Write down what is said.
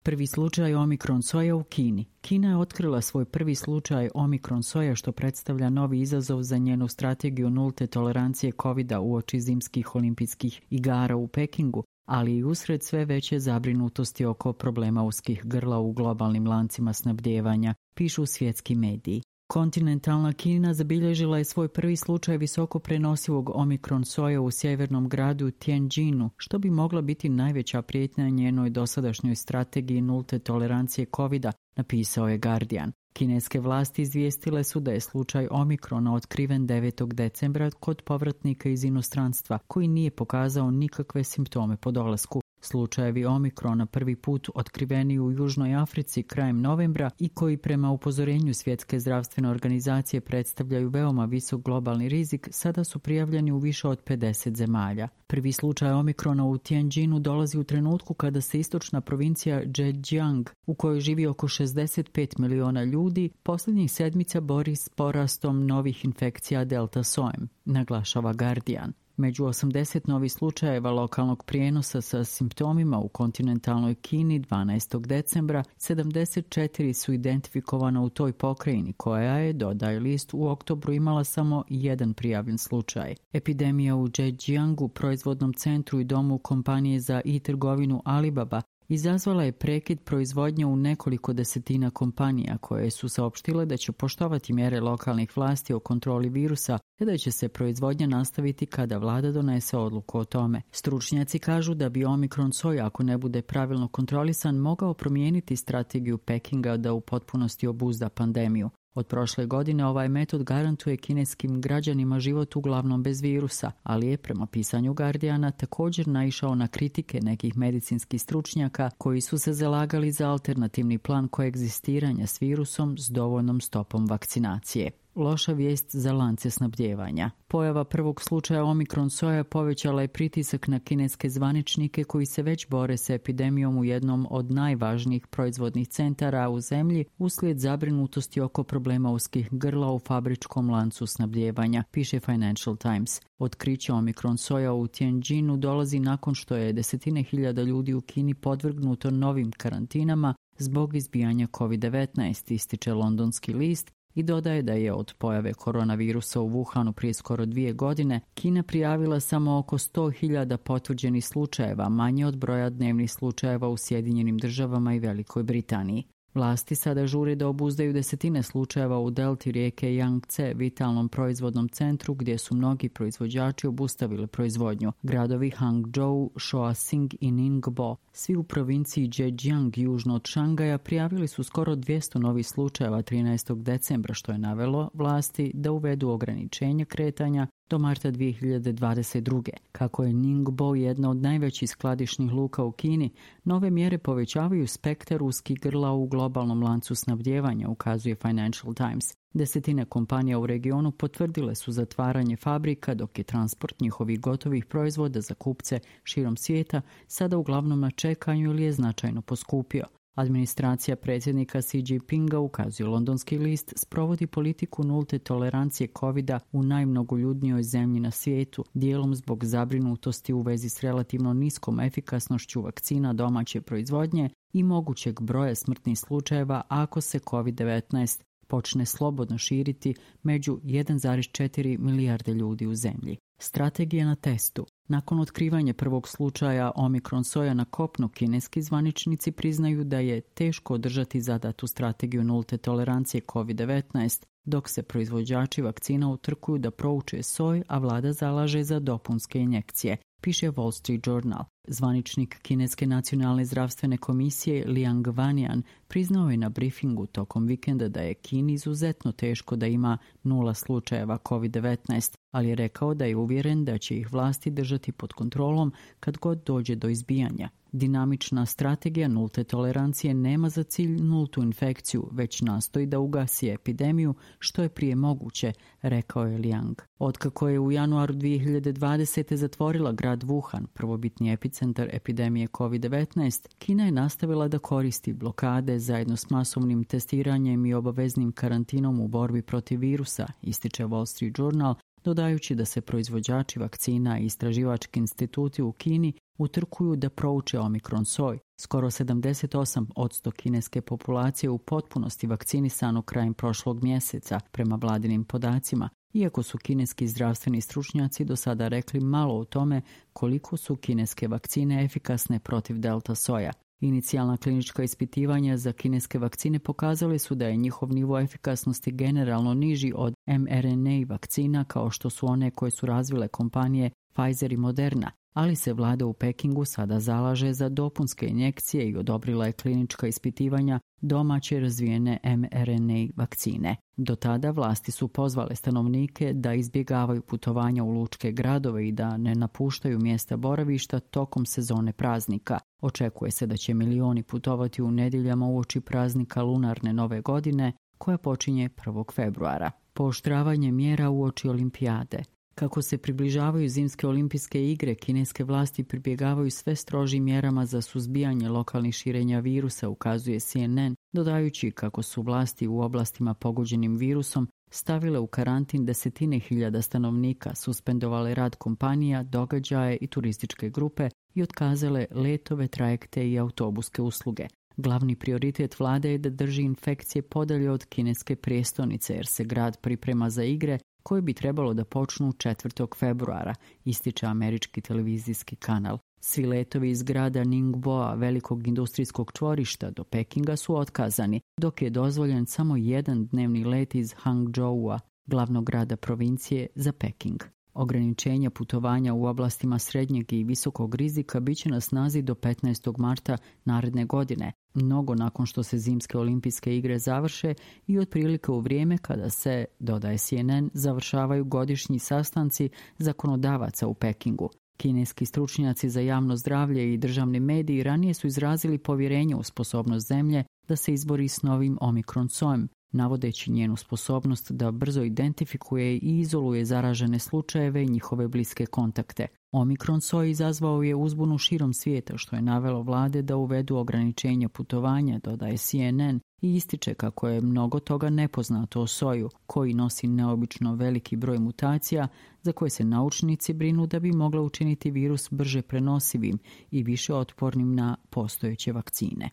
Prvi slučaj omikron soja u Kini. Kina je otkrila svoj prvi slučaj omikron soja što predstavlja novi izazov za njenu strategiju nulte tolerancije COVID-a uoči zimskih olimpijskih igara u Pekingu, ali i usred sve veće zabrinutosti oko problema uskih grla u globalnim lancima snabdijevanja, pišu svjetski mediji. Kontinentalna Kina zabilježila je svoj prvi slučaj visoko prenosivog omikron soja u sjevernom gradu Tianjinu, što bi mogla biti najveća prijetnja njenoj dosadašnjoj strategiji nulte tolerancije COVID-a, napisao je Guardian. Kineske vlasti izvijestile su da je slučaj omikrona otkriven 9. decembra kod povratnika iz inostranstva, koji nije pokazao nikakve simptome po dolasku. Slučajevi omikrona prvi put otkriveni u Južnoj Africi krajem novembra i koji prema upozorenju Svjetske zdravstvene organizacije predstavljaju veoma visok globalni rizik, sada su prijavljeni u više od 50 zemalja. Prvi slučaj omikrona u Tianjinu dolazi u trenutku kada se istočna provincija Zhejiang, u kojoj živi oko 65 miliona ljudi, posljednjih sedmica bori s porastom novih infekcija delta sojem, naglašava Guardian. Među 80 novih slučajeva lokalnog prijenosa sa simptomima u kontinentalnoj Kini 12. decembra, 74 su identifikovana u toj pokrajini koja je, dodaje list, u oktobru imala samo jedan prijavljen slučaj. Epidemija u Zhejiangu, proizvodnom centru i domu kompanije za e-trgovinu Alibaba, izazvala je prekid proizvodnje u nekoliko desetina kompanija koje su saopštile da će poštovati mjere lokalnih vlasti o kontroli virusa te da će se proizvodnja nastaviti kada vlada donese odluku o tome. Stručnjaci kažu da bi omikron soja, ako ne bude pravilno kontrolisan, mogao promijeniti strategiju Pekinga da u potpunosti obuzda pandemiju. Od prošle godine ovaj metod garantuje kineskim građanima život uglavnom bez virusa, ali je prema pisanju Guardiana također naišao na kritike nekih medicinskih stručnjaka koji su se zalagali za alternativni plan koegzistiranja s virusom s dovoljnom stopom vakcinacije. Loša vijest za lance snabdijevanja. Pojava prvog slučaja omikron soja povećala je pritisak na kineske zvaničnike koji se već bore sa epidemijom u jednom od najvažnijih proizvodnih centara u zemlji uslijed zabrinutosti oko problema uskih grla u fabričkom lancu snabdijevanja, piše Financial Times. Otkriće omikron soja u Tianjinu dolazi nakon što je desetine hiljada ljudi u Kini podvrgnuto novim karantinama zbog izbijanja COVID-19, ističe londonski list, i dodaje da je od pojave koronavirusa u Wuhanu prije skoro 2 godine Kina prijavila samo oko 100.000 potvrđenih slučajeva, manje od broja dnevnih slučajeva u Sjedinjenim državama i Velikoj Britaniji. Vlasti sada žure da obuzdaju desetine slučajeva u delti rijeke Yangtze, vitalnom proizvodnom centru gdje su mnogi proizvođači obustavili proizvodnju. Gradovi Hangzhou, Shaoxing i Ningbo, svi u provinciji Zhejiang južno od Šangaja, prijavili su skoro 200 novih slučajeva 13. decembra, što je navelo vlasti da uvedu ograničenje kretanja do marta 2022. Kako je Ningbo jedna od najvećih skladišnih luka u Kini, nove mjere povećavaju spektar uskih grla u globalnom lancu snabdijevanja, ukazuje Financial Times. Desetine kompanija u regionu potvrdile su zatvaranje fabrika, dok je transport njihovih gotovih proizvoda za kupce širom svijeta sada uglavnom na čekanju ili je značajno poskupio. Administracija predsjednika Xi Jinpinga, ukazuje londonski list, sprovodi politiku nulte tolerancije COVID-a u najmnogoljudnijoj zemlji na svijetu, dijelom zbog zabrinutosti u vezi s relativno niskom efikasnošću vakcina domaće proizvodnje i mogućeg broja smrtnih slučajeva ako se COVID-19 počne slobodno širiti među 1,4 milijarde ljudi u zemlji. Strategija na testu. Nakon otkrivanja prvog slučaja omikron soja na kopnu, kineski zvaničnici priznaju da je teško održati zadatu strategiju nulte tolerancije COVID-19, dok se proizvođači vakcina utrkuju da prouče soj, a vlada zalaže za dopunske injekcije, piše Wall Street Journal. Zvaničnik Kineske nacionalne zdravstvene komisije Liang Wannian priznao je na briefingu tokom vikenda da je Kini izuzetno teško da ima 0 slučajeva COVID-19, ali je rekao da je uvjeren da će ih vlasti držati pod kontrolom kad god dođe do izbijanja. Dinamična strategija nulte tolerancije nema za cilj nultu infekciju, već nastoji da ugasi epidemiju što je prije moguće, rekao je Liang. Otkako je u januaru 2020. zatvorila grad Wuhan, prvobitni epicentar epidemije COVID-19, Kina je nastavila da koristi blokade zajedno s masovnim testiranjem i obaveznim karantinom u borbi protiv virusa, ističe Wall Street Journal, dodajući da se proizvođači vakcina i istraživački instituti u Kini utrkuju da prouče omikron soj. Skoro 78% kineske populacije u potpunosti vakcinisano krajem prošlog mjeseca, prema vladinim podacima, iako su kineski zdravstveni stručnjaci do sada rekli malo o tome koliko su kineske vakcine efikasne protiv delta soja. Inicijalna klinička ispitivanja za kineske vakcine pokazali su da je njihov nivo efikasnosti generalno niži od mRNA vakcina kao što su one koje su razvile kompanije Pfizer i Moderna, ali se vlada u Pekingu sada zalaže za dopunske injekcije i odobrila je klinička ispitivanja domaće razvijene mRNA vakcine. Do tada vlasti su pozvale stanovnike da izbjegavaju putovanja u lučke gradove i da ne napuštaju mjesta boravišta tokom sezone praznika. Očekuje se da će milioni putovati u nedjeljama uoči praznika lunarne nove godine, koja počinje 1. februara. Pooštravanje mjera uoči olimpijade. Kako se približavaju zimske olimpijske igre, kineske vlasti pribjegavaju sve strožim mjerama za suzbijanje lokalnih širenja virusa, ukazuje CNN, dodajući kako su vlasti u oblastima pogođenim virusom stavile u karantin desetine hiljada stanovnika, suspendovale rad kompanija, događaje i turističke grupe i otkazale letove, trajekte i autobuske usluge. Glavni prioritet vlade je da drži infekcije podalje od kineske prijestolnice, jer se grad priprema za igre koje bi trebalo da počnu 4. februara, ističe američki televizijski kanal. Svi letovi iz grada Ningboa, velikog industrijskog čvorišta, do Pekinga su otkazani, dok je dozvoljen samo jedan dnevni let iz Hangzhoua, glavnog grada provincije, za Peking. Ograničenja putovanja u oblastima srednjeg i visokog rizika bit će na snazi do 15. marta naredne godine, mnogo nakon što se zimske olimpijske igre završe i otprilike u vrijeme kada se, dodaje CNN, završavaju godišnji sastanci zakonodavaca u Pekingu. Kineski stručnjaci za javno zdravlje i državni mediji ranije su izrazili povjerenje u sposobnost zemlje da se izbori s novim omikron sojem, navodeći njenu sposobnost da brzo identifikuje i izoluje zaražene slučajeve i njihove bliske kontakte. Omikron soj izazvao je uzbunu širom svijeta, što je navelo vlade da uvedu ograničenja putovanja, dodaje CNN, i ističe kako je mnogo toga nepoznato o soju, koji nosi neobično veliki broj mutacija za koje se naučnici brinu da bi mogla učiniti virus brže prenosivim i više otpornim na postojeće vakcine.